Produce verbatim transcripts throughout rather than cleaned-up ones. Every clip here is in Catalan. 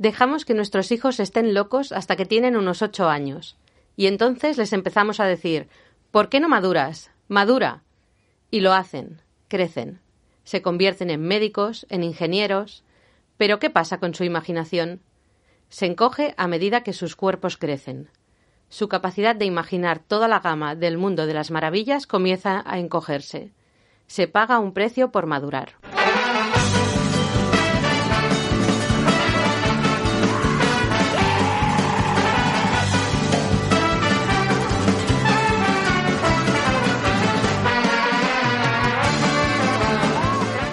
Dejamos que nuestros hijos estén locos hasta que tienen unos ocho años. Y entonces les empezamos a decir, ¿por qué no maduras? ¡Madura! Y lo hacen, crecen. Se convierten en médicos, en ingenieros. ¿Pero qué pasa con su imaginación? Se encoge a medida que sus cuerpos crecen. Su capacidad de imaginar toda la gama del mundo de las maravillas comienza a encogerse. Se paga un precio por madurar.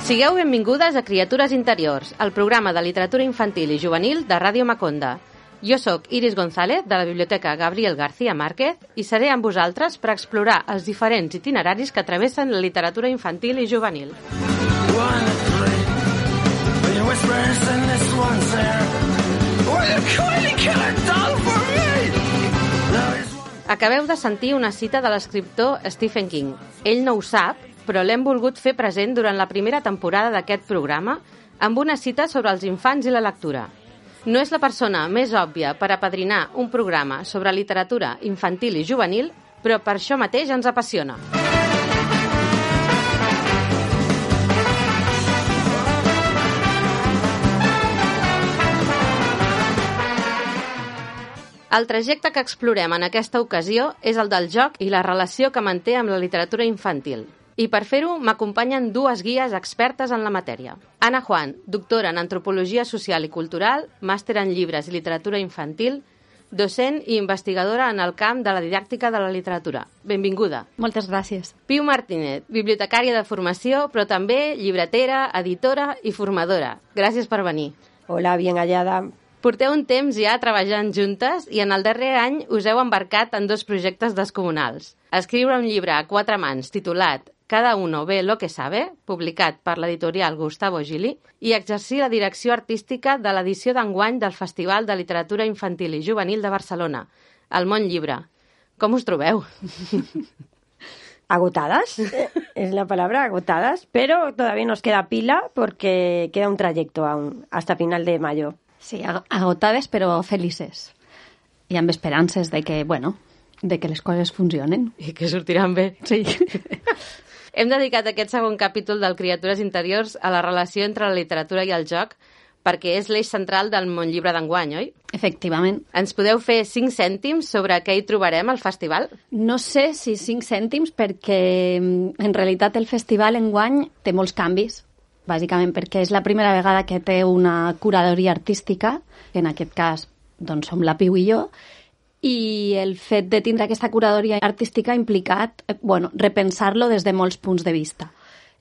Sigueu benvingudes a Criatures Interiors, el programa de literatura infantil i juvenil de Ràdio Maconda. Jo sóc Iris González, de la Biblioteca Gabriel García Márquez, i seré amb vosaltres per explorar els diferents itineraris que travessen la literatura infantil i juvenil. Acabeu de sentir una cita de l'escriptor Stephen King. Ell no ho sap, però l'hem volgut fer present durant la primera temporada d'aquest programa amb una cita sobre els infants i la lectura. No és la persona més òbvia per apadrinar un programa sobre literatura infantil i juvenil, però per això mateix ens apassiona. El trajecte que explorem en aquesta ocasió és el del joc i la relació que manté amb la literatura infantil. I per fer-ho m'acompanyen dues guies expertes en la matèria. Ana Juan, doctora en Antropologia Social i Cultural, màster en llibres i literatura infantil, docent i investigadora en el camp de la didàctica de la literatura. Benvinguda. Moltes gràcies. Piu Martínez, bibliotecària de formació, però també llibretera, editora i formadora. Gràcies per venir. Hola, bien hallada. Porteu un temps ja treballant juntes i en el darrer any us heu embarcat en dos projectes descomunals. Escriure un llibre a quatre mans titulat Cada uno ve lo que sabe, publicat per l'editorial Gustavo Gili, i exercir la direcció artística de l'edició d'enguany del Festival de Literatura Infantil i Juvenil de Barcelona, el Món Llibre. Com us trobeu? Agotadas, es la palabra, agotadas, pero todavía nos queda pila porque queda un trayecto aún, hasta final de mayo. Sí, agotades però felices. I amb esperances de que, bueno, de que les coses funcionen. I que sortiran bé. Sí. Hem dedicat aquest segon capítol del Criatures Interiors a la relació entre la literatura i el joc perquè és l'eix central del Món Llibre d'enguany, oi? Efectivament. Ens podeu fer cinc cèntims sobre què hi trobarem al festival? No sé si cinc cèntims perquè en realitat el festival enguany té molts canvis, bàsicament perquè és la primera vegada que té una curadoria artística, que en aquest cas doncs, som la Piu i jo, i el fet de tindre aquesta curadoria artística ha implicat bueno, repensar-lo des de molts punts de vista.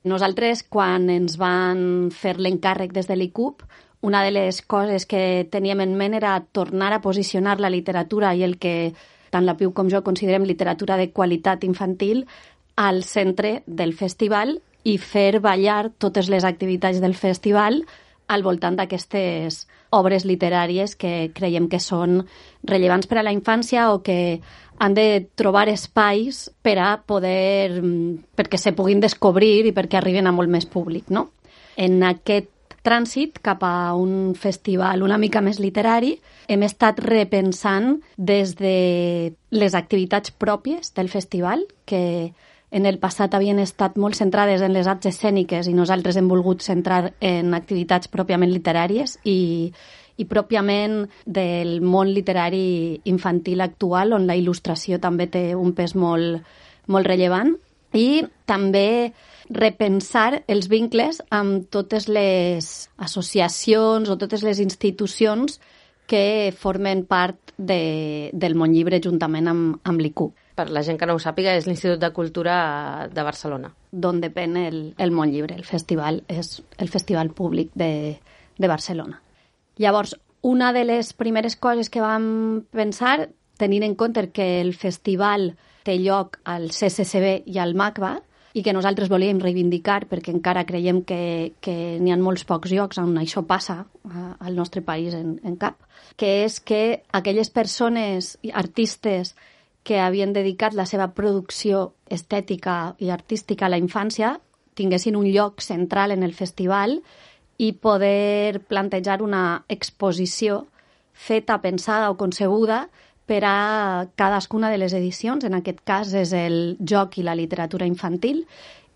Nosaltres, quan ens van fer l'encàrrec des de l'I C U B, una de les coses que teníem en ment era tornar a posicionar la literatura i el que tant la Piu com jo considerem literatura de qualitat infantil al centre del festival i fer ballar totes les activitats del festival al voltant d'aquestes obres literàries que creiem que són rellevants per a la infància o que han de trobar espais per a poder, perquè se puguin descobrir i perquè arriben a molt més públic, no? En aquest trànsit cap a un festival una mica més literari hem estat repensant des de les activitats pròpies del festival, que en el passat havien estat molt centrades en les arts escèniques i nosaltres hem volgut centrar en activitats pròpiament literàries i, i pròpiament del món literari infantil actual, on la il·lustració també té un pes molt, molt rellevant, i també repensar els vincles amb totes les associacions o totes les institucions que formen part de, del món llibre juntament amb, amb l'I C U B. Per la gent que no ho sàpiga, és l'Institut de Cultura de Barcelona. D'on depèn el, el món llibre. El festival és el festival públic de, de Barcelona. Llavors, una de les primeres coses que vam pensar, tenint en compte que el festival té lloc al C C C B i al MACBA, i que nosaltres volíem reivindicar perquè encara creiem que, que n'hi ha molts pocs llocs on això passa al nostre país en, en cap, que és que aquelles persones, artistes, que havien dedicat la seva producció estètica i artística a la infància tinguessin un lloc central en el festival i poder plantejar una exposició feta, pensada o concebuda per a cadascuna de les edicions. En aquest cas és el joc i la literatura infantil,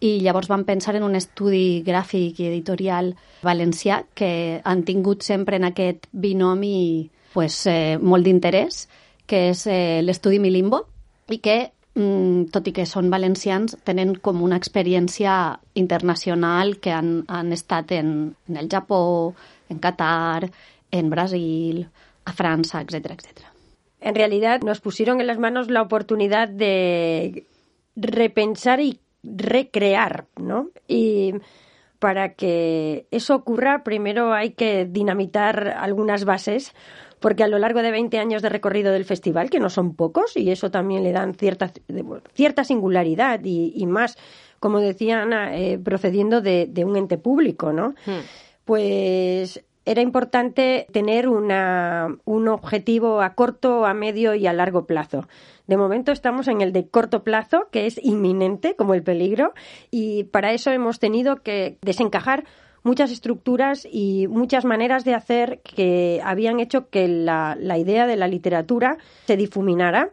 i llavors vam pensar en un estudi gràfic i editorial valencià que han tingut sempre en aquest binomi pues, eh, molt d'interès, que és eh, l'estudi Milimbo, i que, mm, tot i que són valencians, tenen com una experiència internacional que han, han estat en, en el Japó, en Qatar, en Brasil, a França, etcétera, etcétera. En realidad nos pusieron en las manos la oportunidad de repensar y recrear, ¿no? Y para que eso ocurra, primero hay que dinamitar algunas bases, porque a lo largo de veinte años de recorrido del festival, que no son pocos, y eso también le dan cierta, cierta singularidad y, y más, como decía Ana, eh, procediendo de, de un ente público, ¿no? Hmm. Pues era importante tener una, un objetivo a corto, a medio y a largo plazo. De momento estamos en el de corto plazo, que es inminente, como el peligro, y para eso hemos tenido que desencajar muchas estructuras y muchas maneras de hacer que habían hecho que la, la idea de la literatura se difuminara,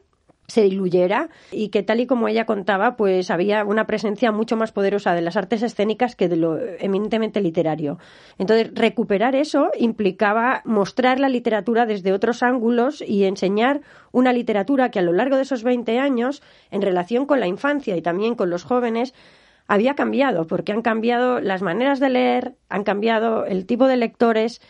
se diluyera, y que, tal y como ella contaba, pues había una presencia mucho más poderosa de las artes escénicas que de lo eminentemente literario. Entonces, recuperar eso implicaba mostrar la literatura desde otros ángulos y enseñar una literatura que a lo largo de esos veinte años, en relación con la infancia y también con los jóvenes, había cambiado, porque han cambiado las maneras de leer, han cambiado el tipo de lectores.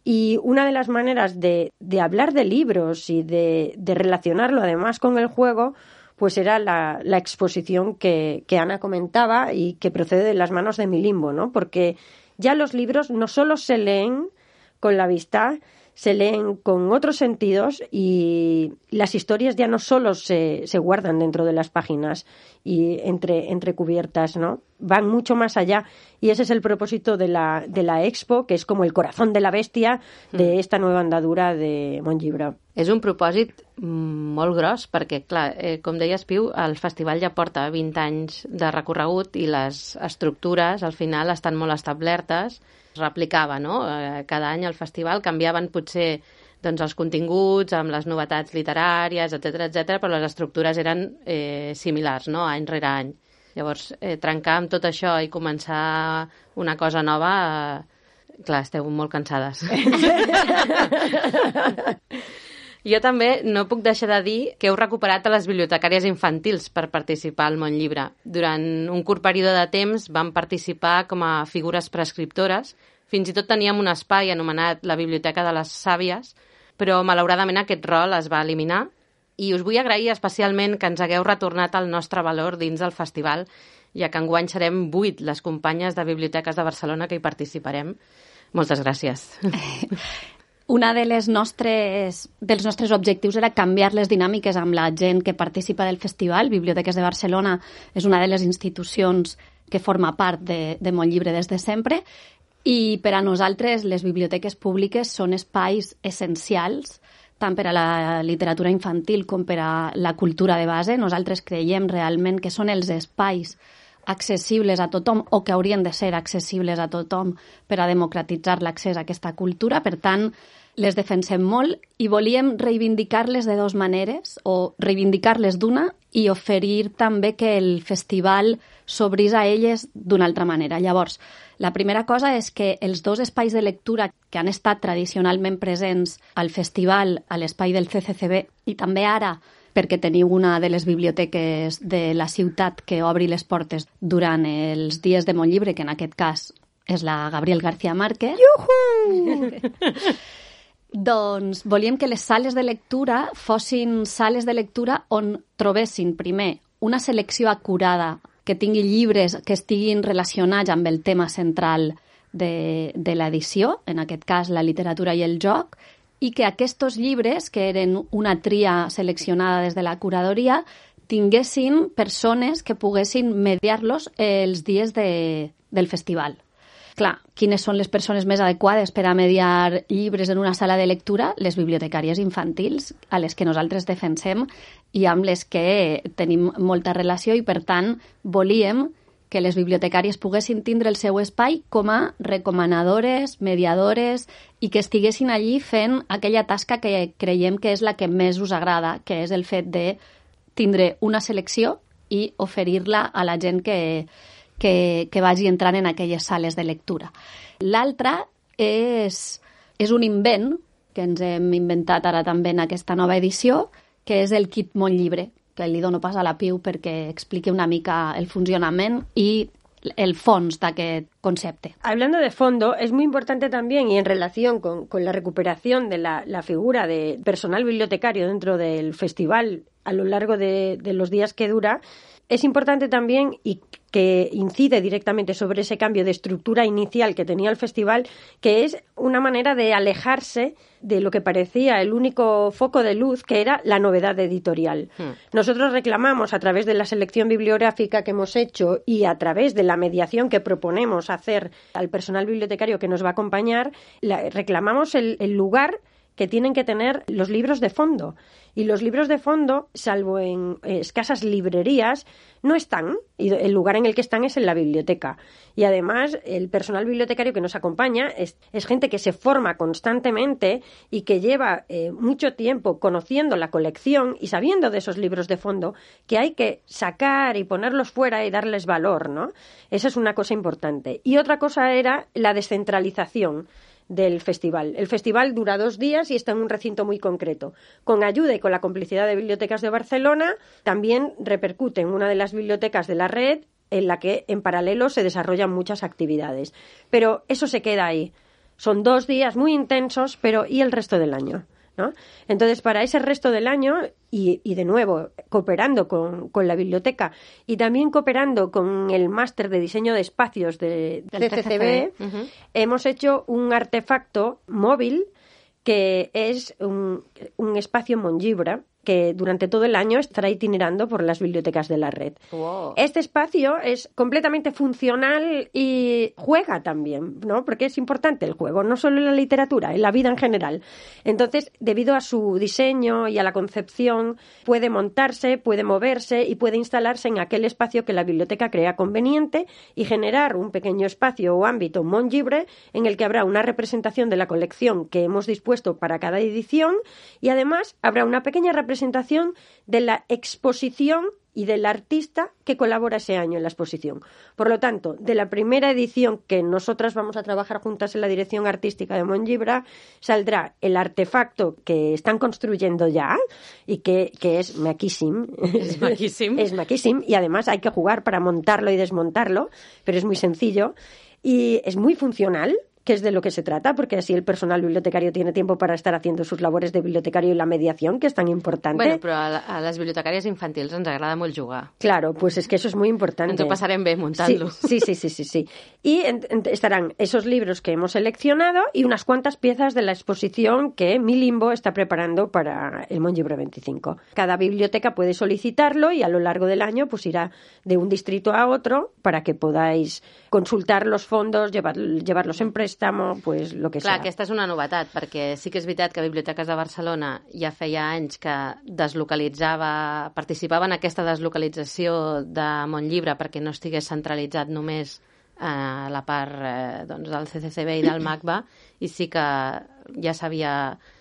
Y una de las maneras de, de hablar de libros y de, de relacionarlo además con el juego, pues era la, la exposición que, que Ana comentaba y que procede de las manos de Milimbo, ¿no? Porque ya los libros no solo se leen con la vista, se leen con otros sentidos, y las historias ya no solo se, se guardan dentro de las páginas y entre, entre cubiertas, ¿no? Van mucho más allá, y ese es el propósito de la, de la Expo, que és com el corazón de la bèstia d'esta nueva andadura de Montllibre. És un propòsit molt gros, perquè, clar, eh, com deies, Piu, el festival ja porta vint anys de recorregut i les estructures, al final, estan molt establertes. Es replicava, no? Eh, cada any al festival canviaven potser doncs, els continguts amb les novetats literàries, etcètera, etcètera, però les estructures eren eh, similars, no? Any rere any. Llavors, eh, trencar amb tot això i començar una cosa nova, eh, clar, esteu molt cansades. Jo també no puc deixar de dir que heu recuperat a les bibliotecàries infantils per participar al Montllibre. Durant un curt període de temps vam participar com a figures prescriptores. Fins i tot teníem un espai anomenat la Biblioteca de les Sàvies, però malauradament aquest rol es va eliminar. I us vull agrair especialment que ens hagueu retornat el nostre valor dins del festival, ja que enguany serem vuit les companyes de biblioteques de Barcelona que hi participarem. Moltes gràcies. Una de les nostres, dels nostres objectius era canviar les dinàmiques amb la gent que participa del festival. Biblioteques de Barcelona és una de les institucions que forma part de, de Montllibre des de sempre, i per a nosaltres les biblioteques públiques són espais essencials tant per a la literatura infantil com per a la cultura de base. Nosaltres creiem realment que són els espais accessibles a tothom, o que haurien de ser accessibles a tothom, per a democratitzar l'accés a aquesta cultura. Per tant, les defensem molt i volíem reivindicar-les de dues maneres, o reivindicar-les d'una i oferir també que el festival s'obrís a elles d'una altra manera. Llavors, la primera cosa és que els dos espais de lectura que han estat tradicionalment presents al festival, a l'espai del C C C B, i també ara perquè teniu una de les biblioteques de la ciutat que obri les portes durant els dies de Montllibre, que en aquest cas és la Gabriel García Márquez. Iuhu! Doncs volíem que les sales de lectura fossin sales de lectura on trobessin, primer, una selecció acurada, que tingui llibres que estiguin relacionats amb el tema central de, de l'edició, en aquest cas la literatura i el joc, i que aquests llibres, que eren una tria seleccionada des de la curadoria, tinguessin persones que poguessin mediar-los els dies de, del festival. Clar, quines són les persones més adequades per a mediar llibres en una sala de lectura? Les bibliotecàries infantils, a les que nosaltres defensem i amb les que tenim molta relació, i per tant volíem que les bibliotecàries poguessin tindre el seu espai com a recomanadores, mediadores, i que estiguessin allí fent aquella tasca que creiem que és la que més us agrada, que és el fet de tindre una selecció i oferir-la a la gent que, que, que vagi entrant en aquelles sales de lectura. L'altra és, és un invent que ens hem inventat ara també en aquesta nova edició, que és el kit Montllibre, que li dono pas a la Piu perquè expliqui una mica el funcionament i el fons d'aquest concepte. Hablando de fondo, es muy importante también, y en relación con, con la recuperación de la, la figura de personal bibliotecario dentro del festival a lo largo de, de los días que dura, es importante también, y que incide directamente sobre ese cambio de estructura inicial que tenía el festival, que es una manera de alejarse de lo que parecía el único foco de luz, que era la novedad editorial. Hmm. Nosotros reclamamos, a través de la selección bibliográfica que hemos hecho y a través de la mediación que proponemos hacer al personal bibliotecario que nos va a acompañar, la, reclamamos el, el lugar que tienen que tener los libros de fondo. Y los libros de fondo, salvo en escasas librerías, no están. Y el lugar en el que están es en la biblioteca. Y además, el personal bibliotecario que nos acompaña es, es gente que se forma constantemente y que lleva eh, mucho tiempo conociendo la colección y sabiendo de esos libros de fondo que hay que sacar y ponerlos fuera y darles valor, ¿no? Esa es una cosa importante. Y otra cosa era la descentralización del festival. El festival dura dos días y está en un recinto muy concreto. Con ayuda y con la complicidad de Bibliotecas de Barcelona, también repercute en una de las bibliotecas de la red, en la que en paralelo se desarrollan muchas actividades. Pero eso se queda ahí. Son dos días muy intensos, pero ¿y el resto del año? ¿No? Entonces, para ese resto del año, y, y de nuevo, cooperando con, con la biblioteca y también cooperando con el máster de diseño de espacios de C C C B, uh-huh. hemos hecho un artefacto móvil que es un, un espacio Montllibre, que durante todo el año estará itinerando por las bibliotecas de la red. Wow. Este espacio es completamente funcional y juega también, ¿no? Porque es importante el juego, no solo en la literatura, en la vida en general. Entonces, debido a su diseño y a la concepción, puede montarse, puede moverse y puede instalarse en aquel espacio que la biblioteca crea conveniente y generar un pequeño espacio o ámbito Montllibre en el que habrá una representación de la colección que hemos dispuesto para cada edición y además habrá una pequeña representación presentación de la exposición y del artista que colabora ese año en la exposición. Por lo tanto, de la primera edición que nosotras vamos a trabajar juntas en la dirección artística de Montllibre, saldrá el artefacto que están construyendo ya y que, que es maquísimo. Es maquísimo. Es maquísimo y además hay que jugar para montarlo y desmontarlo, pero es muy sencillo y es muy funcional, que es de lo que se trata, porque así el personal bibliotecario tiene tiempo para estar haciendo sus labores de bibliotecario y la mediación, que es tan importante. Bueno, però a, a les bibliotecàries infantils ens agrada molt jugar. Claro, pues es que eso es muy importante. Ens ho passarem bé muntant-lo. Sí, sí, sí, sí, sí. Y en, en, estarán esos libros que hemos seleccionado y unas cuantas piezas de la exposición que Mi Limbo está preparando para el Montllibre veinticinco. Cada biblioteca puede solicitarlo y a lo largo del año pues irá de un distrito a otro para que podáis consultar los fondos, llevar, llevarlos en préstamo, pues lo que Clar, sea. aquesta és una novetat, perquè sí que és veritat que Biblioteques de Barcelona ja feia anys que deslocalitzava, participava en aquesta deslocalització de Montllibre perquè no estigués centralitzat només a la part eh, doncs, del C C C B i del MACBA, i sí que ja s'havia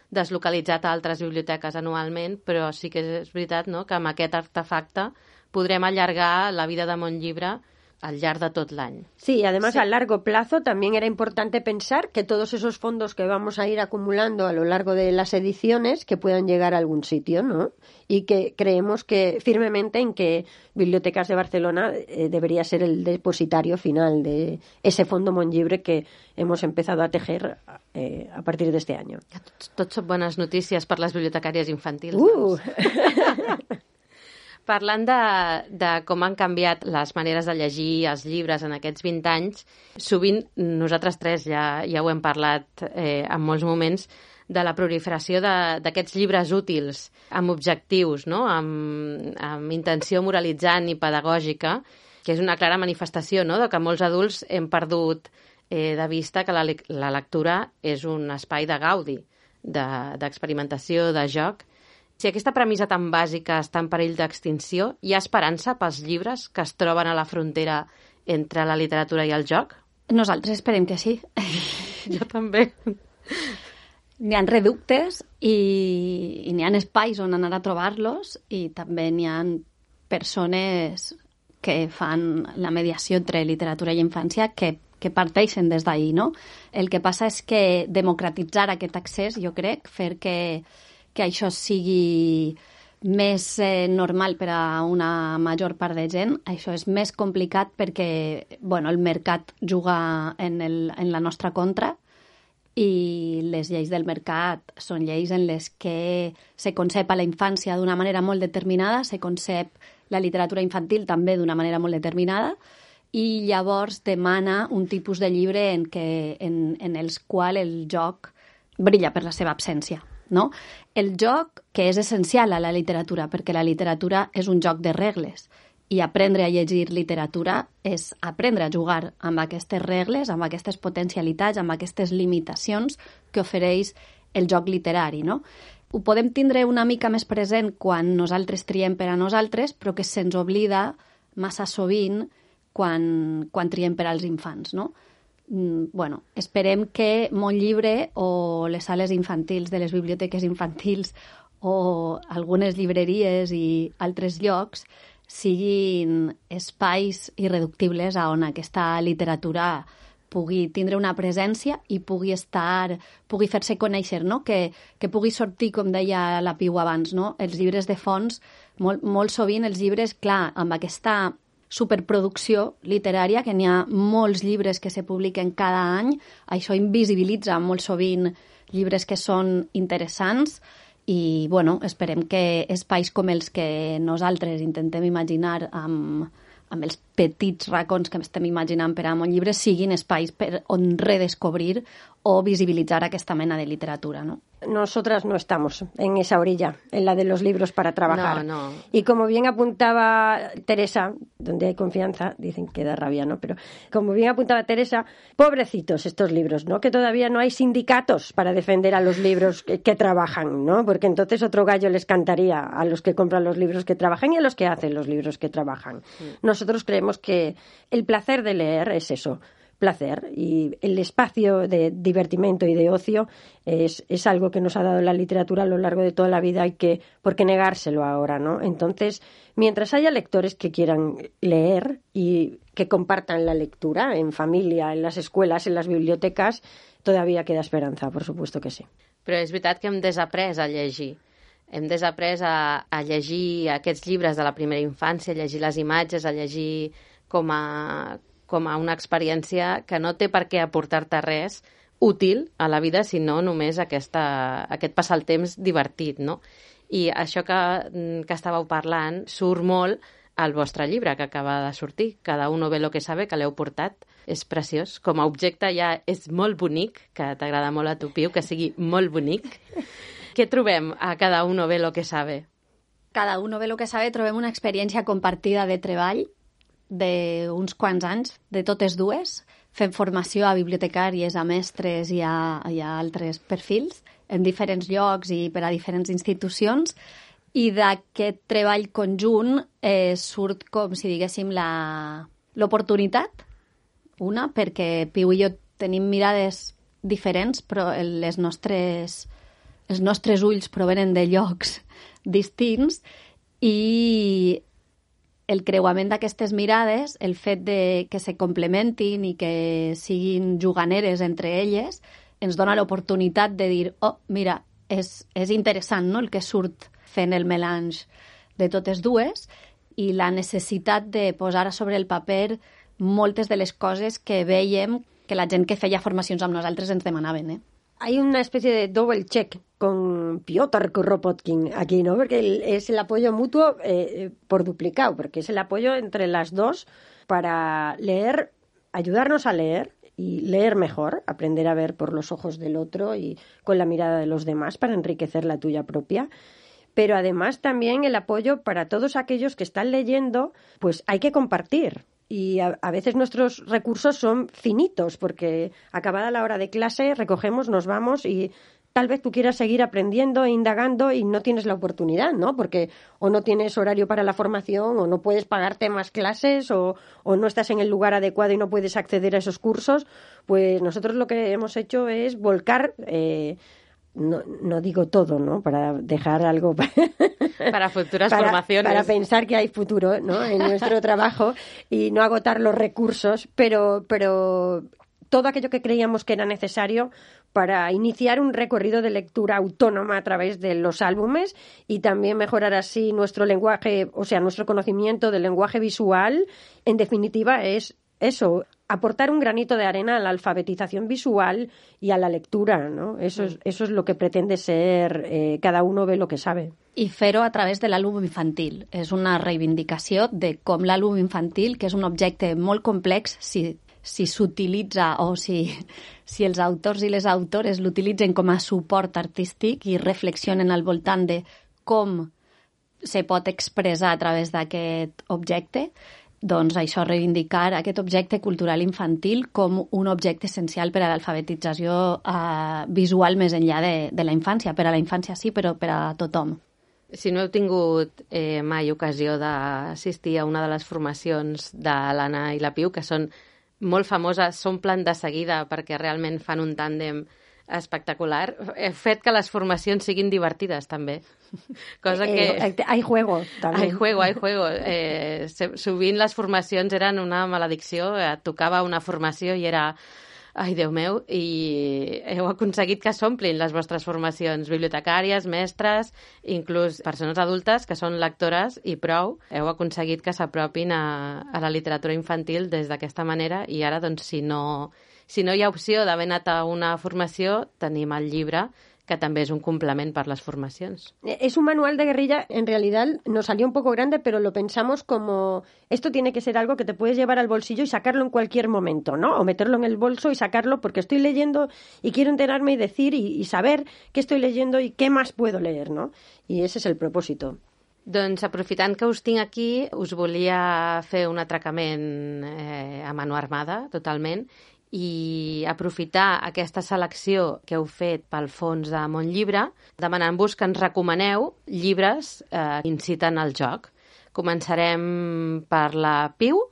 deslocalitzat a altres biblioteques anualment, però sí que és veritat, no?, que amb aquest artefacte podrem allargar la vida de Montllibre al largo de tot l'any. Sí, además sí. a largo plazo también era importante pensar que todos esos fondos que vamos a ir acumulando a lo largo de las ediciones que puedan llegar a algún sitio, ¿no? Y que creemos que firmemente en que Bibliotecas de Barcelona eh, debería ser el depositario final de ese fondo Montllibre que hemos empezado a tejer eh, a partir de este año. Tots, tots són bones notícies per les bibliotecàries infantils. Uh! Parlant de, de com han canviat les maneres de llegir els llibres en aquests vint anys, sovint nosaltres tres ja, ja ho hem parlat eh, en molts moments, de la proliferació d'aquests llibres útils, amb objectius, no? amb, amb intenció moralitzant i pedagògica, que és una clara manifestació, no?, de que molts adults hem perdut eh, de vista que la, la lectura és un espai de gaudi, d'experimentació, de, de joc. Si aquesta premissa tan bàsica està en perill d'extinció, hi ha esperança pels llibres que es troben a la frontera entre la literatura i el joc? Nosaltres esperem que sí. Jo també. N'hi ha reductes i, i n'hi ha espais on anar a trobar-los i també n'hi ha persones que fan la mediació entre literatura i infància que, que parteixen des d'ahir, no? El que passa és que democratitzar aquest accés, jo crec, fer que, que això sigui més eh, normal per a una major part de gent, això és més complicat perquè bueno, el mercat juga en, el, en la nostra contra i les lleis del mercat són lleis en les que se concep a la infància d'una manera molt determinada, se concep la literatura infantil també d'una manera molt determinada i llavors demana un tipus de llibre en, que, en, en els qual el joc brilla per la seva absència. No? El joc, que és essencial a la literatura, perquè la literatura és un joc de regles i aprendre a llegir literatura és aprendre a jugar amb aquestes regles, amb aquestes potencialitats, amb aquestes limitacions que ofereix el joc literari. No? Ho podem tindre una mica més present quan nosaltres triem per a nosaltres, però que se'ns oblida massa sovint quan, quan triem per als infants, no? Bueno, esperem que Mon Llibre o les sales infantils de les biblioteques infantils o algunes llibreries i altres llocs siguin espais irreductibles on aquesta literatura pugui tindre una presència i pugui estar, pugui fer-se conèixer, no? Que, que pugui sortir, com deia la Piu abans, no? Els llibres de fons, molt, molt sovint els llibres, clar, amb aquesta superproducció literària, que n'hi ha molts llibres que se publiquen cada any, això invisibilitza molt sovint llibres que són interessants i, bueno, esperem que espais com els que nosaltres intentem imaginar amb, amb els petits racons que estem imaginant per a Mon Llibre siguin espais per on redescobrir o visibilitzar aquesta mena de literatura, ¿no? Nosotras no estamos en esa orilla, en la de los libros para trabajar. No, no. Y como bien apuntaba Teresa, donde hay confianza, dicen que da rabia, ¿no? Pero como bien apuntaba Teresa, pobrecitos estos libros, ¿no? Que todavía no hay sindicatos para defender a los libros que, que trabajan, ¿no? Porque entonces otro gallo les cantaría a los que compran los libros que trabajan y a los que hacen los libros que trabajan. Sí. Nosotros creemos que el placer de leer es eso, placer, y el espacio de divertimento y de ocio es, es algo que nos ha dado la literatura a lo largo de toda la vida y que, ¿por qué negárselo ahora, no? Entonces, mientras haya lectores que quieran leer y que compartan la lectura en familia, en las escuelas, en las bibliotecas, todavía queda esperanza, por supuesto que sí. Però és veritat que hem desaprès a llegir. Hem desaprès a, a llegir aquests llibres de la primera infància, a llegir les imatges, a llegir com a, com a una experiència que no té per què aportar-te res útil a la vida, sinó només aquesta, aquest passar el temps divertit, no? I això que, que estàveu parlant surt molt al vostre llibre, que acaba de sortir. Cada uno ve lo que sabe, que l'heu portat. És preciós. Com a objecte ja és molt bonic, que t'agrada molt a tu, Piu, que sigui molt bonic. Què trobem a Cada uno ve lo que sabe? Cada uno ve lo que sabe trobem una experiència compartida de treball d'uns quants anys, de totes dues. Fem formació a bibliotecàries, a mestres i a, i a altres perfils en diferents llocs i per a diferents institucions, i d'aquest treball conjunt eh, surt, com si diguéssim, l'oportunitat, una, perquè Piu i jo tenim mirades diferents, però les nostres, els nostres ulls provenen de llocs distints, i el creuament d'aquestes mirades, el fet de que se complementin i que siguin juganeres entre elles, ens dona l'oportunitat de dir, oh, mira, és, és interessant, no?, el que surt fent el melange de totes dues, i la necessitat de posar a sobre el paper moltes de les coses que veiem que la gent que feia formacions amb nosaltres ens demanaven, eh? Hay una especie de double check con Piotr Kropotkin aquí, ¿no? Porque el, es el apoyo mutuo eh, por duplicado, porque es el apoyo entre las dos para leer, ayudarnos a leer y leer mejor, aprender a ver por los ojos del otro y con la mirada de los demás para enriquecer la tuya propia. Pero además también el apoyo para todos aquellos que están leyendo, pues hay que compartir. Y a, a veces nuestros recursos son finitos, porque acabada la hora de clase recogemos, nos vamos y tal vez tú quieras seguir aprendiendo e indagando y no tienes la oportunidad, ¿no? Porque o no tienes horario para la formación, o no puedes pagarte más clases, o, o no estás en el lugar adecuado y no puedes acceder a esos cursos. Pues nosotros lo que hemos hecho es volcar... Eh, No, no digo todo, ¿no? Para dejar algo para, para futuras para, formaciones. Para pensar que hay futuro, ¿no? En nuestro trabajo y no agotar los recursos, pero, pero todo aquello que creíamos que era necesario para iniciar un recorrido de lectura autónoma a través de los álbumes y también mejorar así nuestro lenguaje, o sea, nuestro conocimiento del lenguaje visual. En definitiva, es eso, aportar un granito de arena a la alfabetización visual y a la lectura, ¿no? Eso es, eso és lo que pretende ser eh, cada uno ve lo que sabe. I fer-ho a través de l'àlbum infantil. És una reivindicació de com l'àlbum infantil, que és un objecte molt complex, si si s'utilitza o si, si els autors i les autores l'utilitzen com a suport artístic i reflexionen al voltant de com se pot expressar a través d'aquest objecte, doncs això, reivindicar aquest objecte cultural infantil com un objecte essencial per a l'alfabetització eh, visual més enllà de, de la infància. Per a la infància sí, però per a tothom. Si no heu tingut eh, mai ocasió d'assistir a una de les formacions de l'Anna i la Piu, que són molt famoses, s'omplen de seguida perquè realment fan un tàndem espectacular, he fet que les formacions siguin divertides, també. Cosa que... Eh, hay juego, també. Hay juego, hay juego. Eh, sovint les formacions eren una maledicció, et tocava una formació i era... Ai, Déu meu, i heu aconseguit que s'omplin les vostres formacions, bibliotecàries, mestres, inclús persones adultes que són lectores i prou. Heu aconseguit que s'apropin a, a la literatura infantil des d'aquesta manera i ara, doncs, si no, si no hi ha opció d'haver anat a una formació, tenim el llibre, que també es un complement para las formaciones. Es un manual de guerrilla, en realidad nos salió un poco grande, pero lo pensamos como, esto tiene que ser algo que te puedes llevar al bolsillo y sacarlo en cualquier momento, ¿no? O meterlo en el bolso y sacarlo porque estoy leyendo y quiero enterarme y decir y, y saber qué estoy leyendo y qué más puedo leer, ¿no? Y ese es el propósito. Doncs aprofitant que us tinc aquí, us volia fer un atracament eh, a mano armada, totalment, i aprofitar aquesta selecció que heu fet pel fons de Montllibre, demanant-vos que ens recomaneu llibres eh, que inciten al joc. Començarem per la Piu.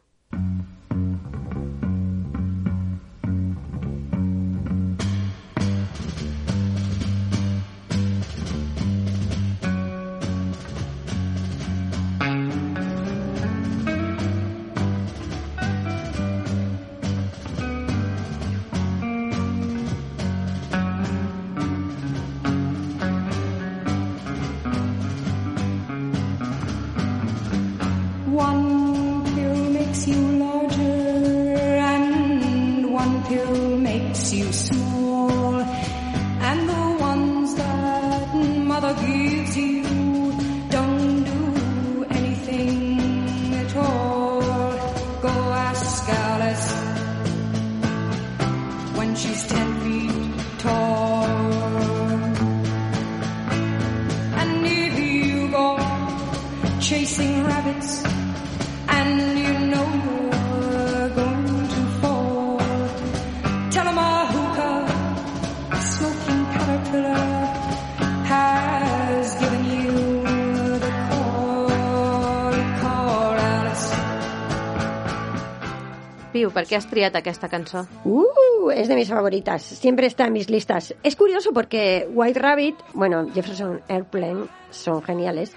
Piu, ¿por qué has triat aquesta cançó? Uh, es de mis favoritas. Siempre está en mis listas. Es curioso porque White Rabbit, bueno, Jefferson Airplane son geniales,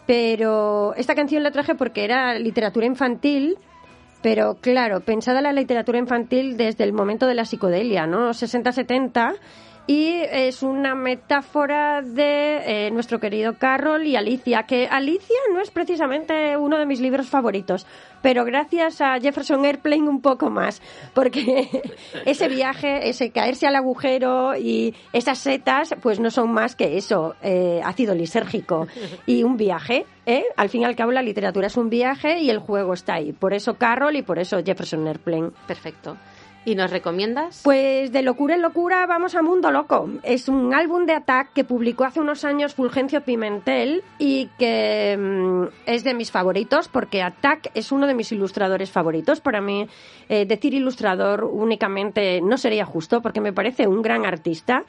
pero esta canción la traje porque era literatura infantil, pero claro, pensada la literatura infantil desde el momento de la psicodelia, ¿no? sesenta setenta, y es una metáfora de eh, nuestro querido Carroll y Alicia, que Alicia no es precisamente uno de mis libros favoritos, pero gracias a Jefferson Airplane un poco más, porque ese viaje, ese caerse al agujero y esas setas, pues no son más que eso, eh, ácido lisérgico y un viaje, ¿eh? Al fin y al cabo la literatura es un viaje y el juego está ahí, por eso Carroll y por eso Jefferson Airplane. Perfecto. ¿Y nos recomiendas? Pues de locura en locura vamos a Mundo Loco. Es un álbum de Attack que publicó hace unos años Fulgencio Pimentel y que mmm, es de mis favoritos porque Attack es uno de mis ilustradores favoritos. Para mí eh, decir ilustrador únicamente no sería justo porque me parece un gran artista.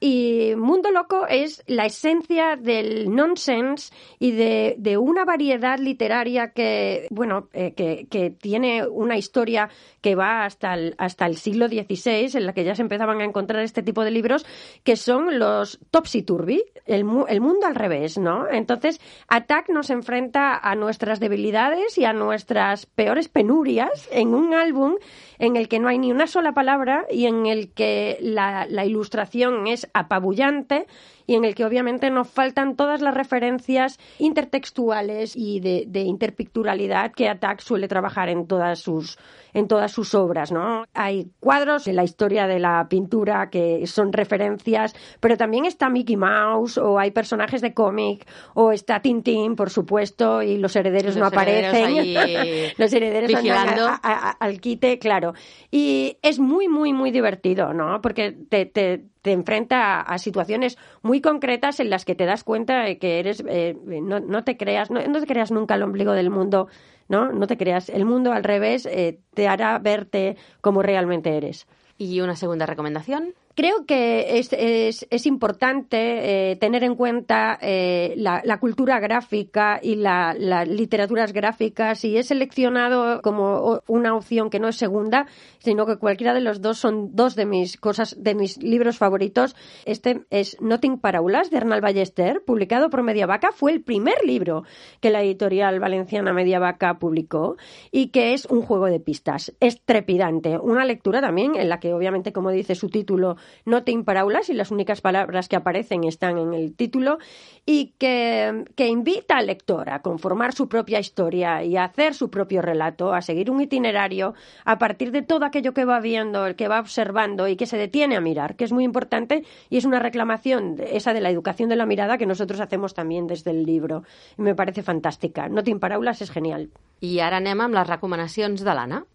Y Mundo Loco es la esencia del nonsense y de, de una variedad literaria que, bueno, eh, que, que tiene una historia que va hasta el, hasta el siglo dieciséis, en la que ya se empezaban a encontrar este tipo de libros, que son los topsy-turvy, el, el mundo al revés, ¿no? Entonces, Attack nos enfrenta a nuestras debilidades y a nuestras peores penurias en un álbum en el que no hay ni una sola palabra y en el que la, la ilustración es apabullante y en el que obviamente nos faltan todas las referencias intertextuales y de, de interpicturalidad que Attack suele trabajar en todas sus en todas sus obras, ¿no? Hay cuadros en la historia de la pintura que son referencias, pero también está Mickey Mouse, o hay personajes de cómic, o está Tintín, por supuesto, y los herederos los no herederos aparecen. Ahí los herederos vigilando. Andan a, a, a, al quite, claro. Y es muy, muy, muy divertido, ¿no? Porque te, te, te enfrenta a, a situaciones muy concretas en las que te das cuenta de que eres, eh, no, no te creas, no, no te creas nunca el ombligo del mundo, ¿no? No te creas. El mundo al revés eh, te hará verte como realmente eres. ¿Y una segunda recomendación? Creo que es, es, es importante eh, tener en cuenta eh, la, la cultura gráfica y la, las literaturas gráficas, y he seleccionado como una opción que no es segunda, sino que cualquiera de los dos son dos de mis cosas, de mis libros favoritos. Este es Nothing Paraules, de Arnal Ballester, publicado por Mediavaca. Fue el primer libro que la editorial valenciana Mediavaca publicó y que es un juego de pistas. Es trepidante. Una lectura también en la que, obviamente, como dice su título, Nothing Paraules, y las únicas palabras que aparecen están en el título, y que, que invita al lector a conformar su propia historia y a hacer su propio relato, a seguir un itinerario a partir de todo aquello que va viendo, el que va observando y que se detiene a mirar, que es muy importante, y es una reclamación esa de la educación de la mirada que nosotros hacemos también desde el libro. Y me parece fantástica. Nothing Paraules es genial. I ara anem amb les recomanacions de l'Anna.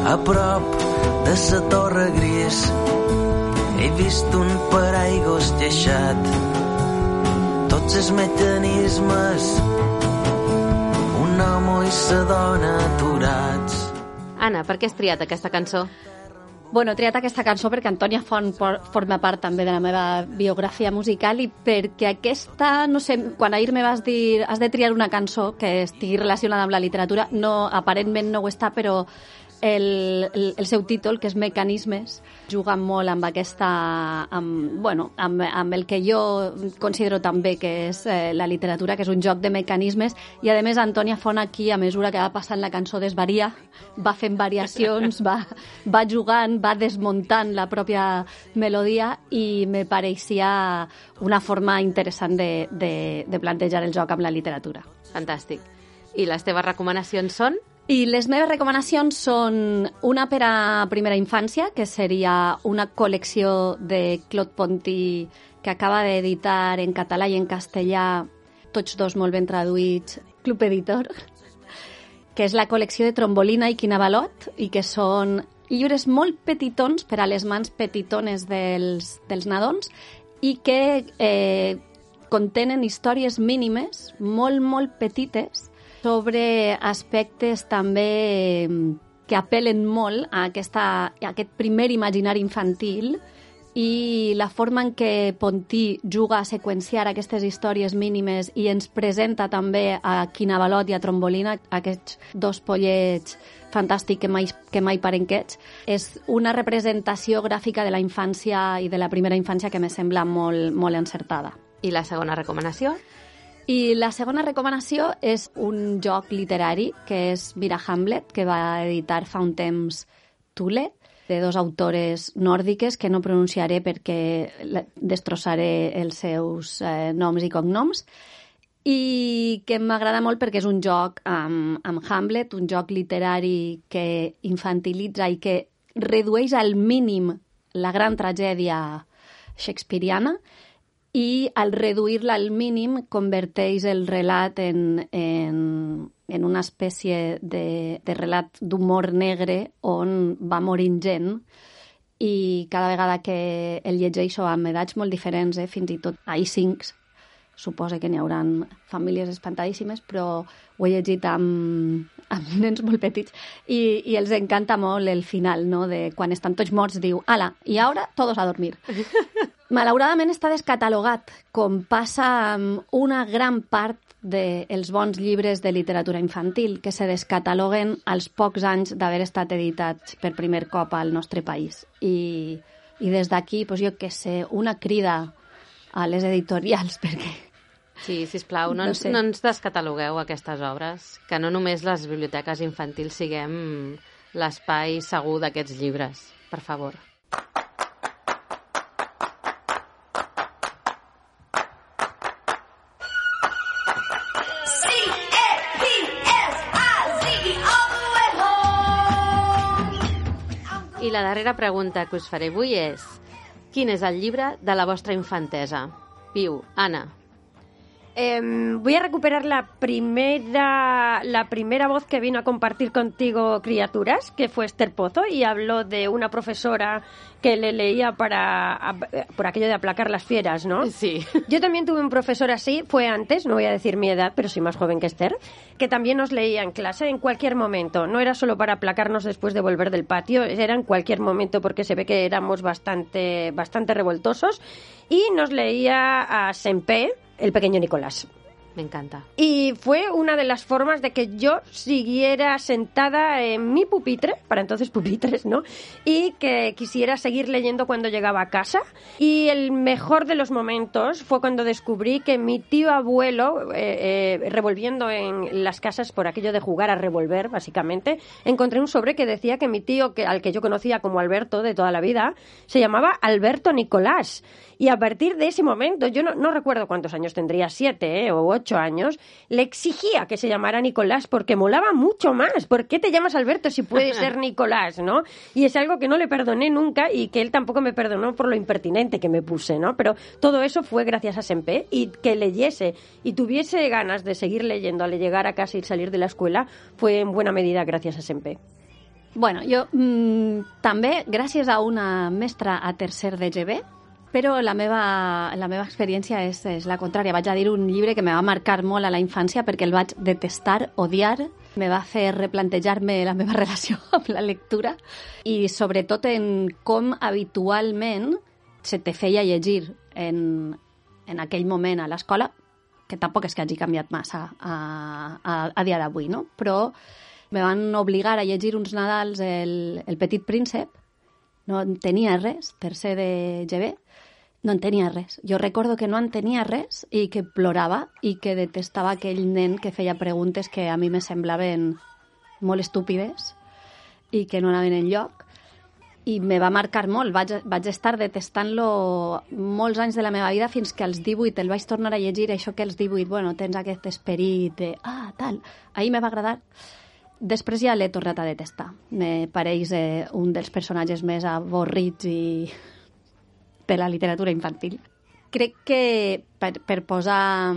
A prop de la Torre Gris he vist un paraigües lleixat, tots els mecanismes, un home i sa dona aturats. Anna, per què has triat aquesta cançó? Bueno, he triat aquesta cançó perquè Antònia Font por, forma part també de la meva biografia musical, i perquè aquesta, no sé, quan ahir me vas dir has de triar una cançó que estigui relacionada amb la literatura, no, aparentment no ho està, però el, el, el seu títol, que és Mecanismes, juga molt amb aquesta, amb, bueno, amb, amb el que jo considero també que és eh, la literatura, que és un joc de mecanismes, i a més Antònia Font aquí, a mesura que va passant la cançó, desvaria, va fent variacions, va, va jugant, va desmuntant la pròpia melodia, i me pareixia una forma interessant de, de, de plantejar el joc amb la literatura. Fantàstic. I les teves recomanacions són? I les meves recomanacions són una per a primera infància, que seria una col·lecció de Claude Ponty que acaba d'editar en català i en castellà, tots dos molt ben traduïts, Club Editor, que és la col·lecció de Trombolina i Quinabalot, i que són llibres molt petitons per a les mans petitones dels, dels nadons, i que eh, contenen històries mínimes, molt, molt petites, sobre aspectes també que apel·len molt a, aquesta, a aquest primer imaginari infantil, i la forma en què Ponty juga a seqüenciar aquestes històries mínimes i ens presenta també a Quinabalot i a Trombolina, aquests dos pollets fantàstics que mai, que mai paren quiets, és una representació gràfica de la infància i de la primera infància que me sembla molt, molt encertada. I la segona recomanació? I la segona recomanació és un joc literari que és Mira Hamlet, que va editar fa un temps Thule, de dos autores nòrdiques que no pronunciaré perquè destrossaré els seus eh, noms i cognoms, i que m'agrada molt perquè és un joc amb, amb Hamlet, un joc literari que infantilitza i que redueix al mínim la gran tragèdia shakespeariana i al reduir-la al mínim converteix el relat en, en, en una espècie de, de relat d'humor negre on va morint gent i cada vegada que el llegeixo amb edats molt diferents, eh, fins i tot a I cinc, suposa que n'hi haurà famílies espantadíssimes, però ho he llegit amb, amb nens molt petits i, i els encanta molt el final, no? De quan estan tots morts, diu, ala, i ara todos a dormir. Malauradament està descatalogat, com passa amb una gran part dels bons llibres de literatura infantil, que se descataloguen als pocs anys d'haver estat editats per primer cop al nostre país. I, i des d'aquí, doncs jo què sé, una crida a les editorials, perquè... Sí, sisplau, no, No ens, sé. no ens descatalogueu aquestes obres, que no només les biblioteques infantils siguem l'espai segur d'aquests llibres, per favor. I la darrera pregunta que us faré avui és: quin és el llibre de la vostra infantesa? Piu, Anna. Eh, voy a recuperar la primera, la primera voz que vino a compartir contigo Criaturas, que fue Esther Pozo, y habló de una profesora que le leía para a, por aquello de aplacar las fieras, ¿no? Sí. Yo también tuve un profesor así, fue antes, no voy a decir mi edad, pero soy más joven que Esther, que también nos leía en clase en cualquier momento. No era solo para aplacarnos después de volver del patio, era en cualquier momento porque se ve que éramos bastante, bastante revoltosos. Y nos leía a Sempé, el pequeño Nicolás. Me encanta. Y fue una de las formas de que yo siguiera sentada en mi pupitre, para entonces pupitres, ¿no? Y que quisiera seguir leyendo cuando llegaba a casa. Y el mejor de los momentos fue cuando descubrí que mi tío abuelo, eh, eh, revolviendo en las casas por aquello de jugar a revolver, básicamente, encontré un sobre que decía que mi tío, que, al que yo conocía como Alberto de toda la vida, se llamaba Alberto Nicolás. Y a partir de ese momento, yo no, no recuerdo cuántos años tendría, siete ¿eh? o ocho años, le exigía que se llamara Nicolás porque molaba mucho más. ¿Por qué te llamas Alberto si puedes ser Nicolás, no? Y es algo que no le perdoné nunca y que él tampoco me perdonó por lo impertinente que me puse, ¿no? Pero todo eso fue gracias a Sempé, y que leyese y tuviese ganas de seguir leyendo al llegar a casa y salir de la escuela fue en buena medida gracias a Sempé. Bueno, jo mmm, també, gràcies a una mestra a tercer de G B, però la meva, la meva experiència és, és la contrària. Vaig a dir un llibre que me va marcar molt a la infància perquè el vaig detestar, odiar, me va fer replantejar-me la meva relació amb la lectura i sobretot en com habitualment se te feia llegir en, en aquell moment a l'escola, que tampoc és que hagi canviat massa a, a, a dia d'avui, no? Però me van obligar a llegir uns Nadals el, el Petit Príncep, no entenia res, tercer de G B, no entenia res. Jo recordo que no entenia res i que plorava i que detestava aquell nen que feia preguntes que a mi me semblaven molt estúpides i que no anaven enlloc. I me va marcar molt. Vaig, vaig estar detestant-lo molts anys de la meva vida fins que als divuit el vaig tornar a llegir. Això que als divuit, bueno, tens aquest esperit de, ah, tal. Ahir me va agradar. Després ja l'he tornat a detestar. Me pareix eh, un dels personatges més avorrits i de la literatura infantil. Crec que per, per, posar,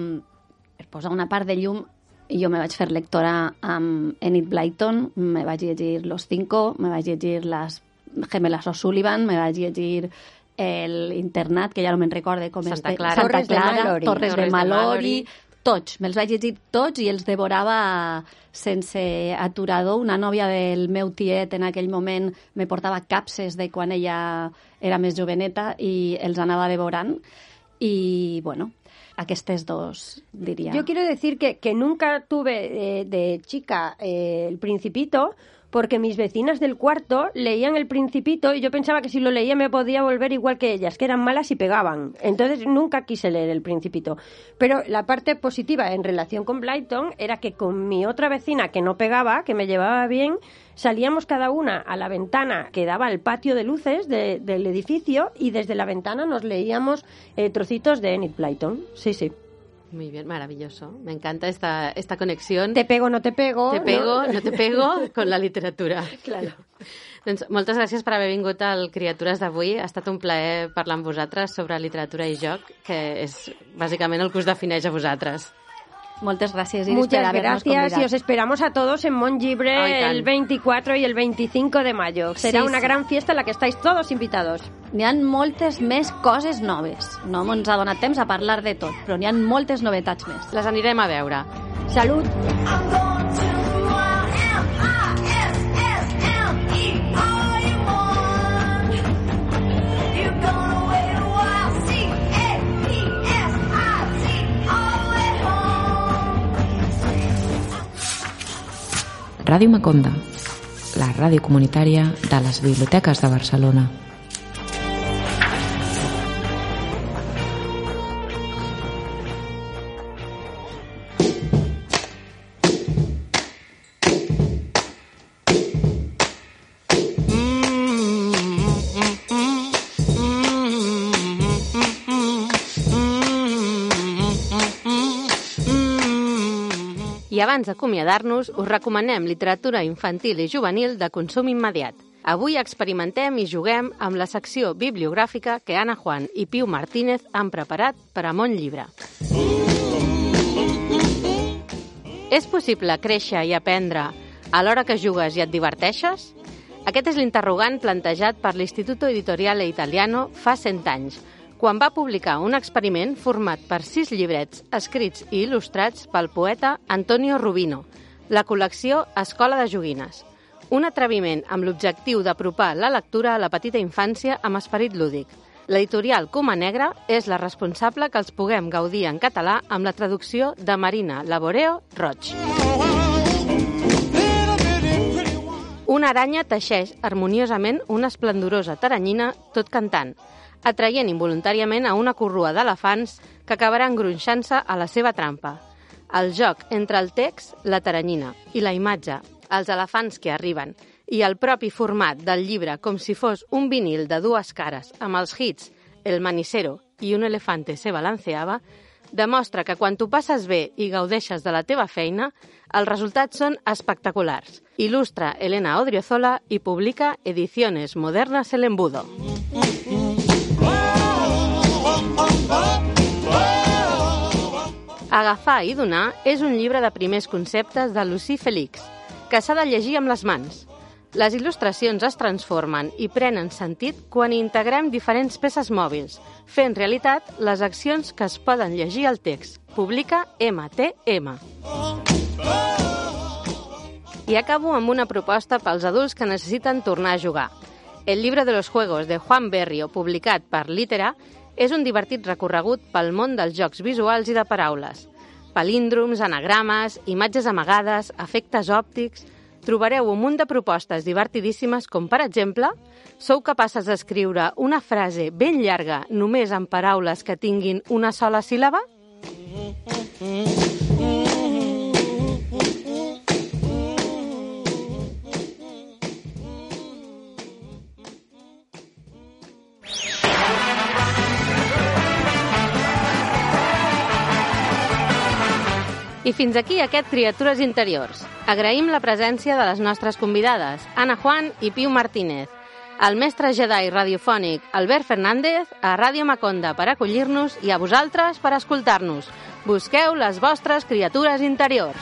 per posar una part de llum, jo me vaig fer lectora amb Enid Blyton, me vaig llegir Los Cinco, me vaig llegir Las Gemelas O'Sullivan, me vaig llegir El Internat, que ja no me'n recorde com Santa és. Clara. Santa Torres de Clara, Mallory. Torres, Torres de de Mallory. Mallory. Tots, me'ls vaig llegir tots i els devorava sense aturador. Una nòvia del meu tiet en aquell moment me portava capses de quan ella era més joveneta i els anava devorant. I, bueno, aquestes dos, diria. Yo quiero decir que, que nunca tuve eh, de chica eh, El Principito, porque mis vecinas del cuarto leían El Principito y yo pensaba que si lo leía me podía volver igual que ellas, que eran malas y pegaban. Entonces nunca quise leer El Principito. Pero la parte positiva en relación con Blyton era que con mi otra vecina que no pegaba, que me llevaba bien, salíamos cada una a la ventana que daba al patio de luces de, del edificio y desde la ventana nos leíamos eh, trocitos de Enid Blyton. Sí, sí. Muy bien, maravilloso. Me encanta esta, esta conexión. Te pego, no te pego. Te pego, no, no te pego, con la literatura. Claro. Doncs moltes gràcies per haver vingut al Criatures d'avui. Ha estat un plaer parlar amb vosaltres sobre literatura i joc, que és bàsicament el que us defineix a vosaltres. Muchas gracias, Iris, Muchas por habernos gracias convidado. y os esperamos a todos en Montlibre oh, el veinticuatro y el veinticinco de mayo. Será sí, una sí. gran fiesta en la que estáis todos invitados. N'hi ha moltes més coses noves. No ens ha donat temps a parlar de tot, però n'hi ha moltes novetats més. Les anirem a veure. Salut! Ràdio Maconda, la ràdio comunitària de les biblioteques de Barcelona. I abans d'acomiadar-nos, us recomanem literatura infantil i juvenil de consum immediat. Avui experimentem i juguem amb la secció bibliogràfica que Anna Juan i Piu Martínez han preparat per a Montlibre. És possible créixer i aprendre alhora que jugues i et diverteixes? Aquest és l'interrogant plantejat per l'Istituto Editoriale Italiano fa cent anys, quan va publicar un experiment format per sis llibrets escrits i il·lustrats pel poeta Antonio Rubino, la col·lecció Escola de Joguines. Un atreviment amb l'objectiu d'apropar la lectura a la petita infància amb esperit lúdic. L'editorial Coma Negra és la responsable que els puguem gaudir en català amb la traducció de Marina Laboreo Roig. Una aranya teixeix harmoniosament una esplendorosa taranyina tot cantant, atraient involuntàriament a una corrua d'elefants que acabaran gronxant-se a la seva trampa. El joc entre el text, la taranyina, i la imatge, els elefants que arriben, i el propi format del llibre com si fos un vinil de dues cares amb els hits El manicero i Un elefante se balanceaba, demostra que quan t'ho passes bé i gaudeixes de la teva feina, els resultats són espectaculars. Il·lustra Elena Odriozola i publica Ediciones Modernas El Embudo. Agafar i donar és un llibre de primers conceptes de Lucí Felix, que s'ha de llegir amb les mans. Les il·lustracions es transformen i prenen sentit quan integrem diferents peces mòbils, fent realitat les accions que es poden llegir al text. Publica M T M. I acabo amb una proposta pels adults que necessiten tornar a jugar. El llibre de los juegos de Juan Berrio, publicat per Litera, és un divertit recorregut pel món dels jocs visuals i de paraules. Palíndroms, anagrames, imatges amagades, efectes òptics... Trobareu un munt de propostes divertidíssimes com, per exemple, sou capaces d'escriure una frase ben llarga només amb paraules que tinguin una sola síl·laba? I fins aquí aquest Criatures Interiors. Agraïm la presència de les nostres convidades, Anna Juan i Piu Martínez, al mestre Jedi radiofònic Albert Fernández, a Ràdio Maconda per acollir-nos i a vosaltres per escoltar-nos. Busqueu les vostres criatures interiors.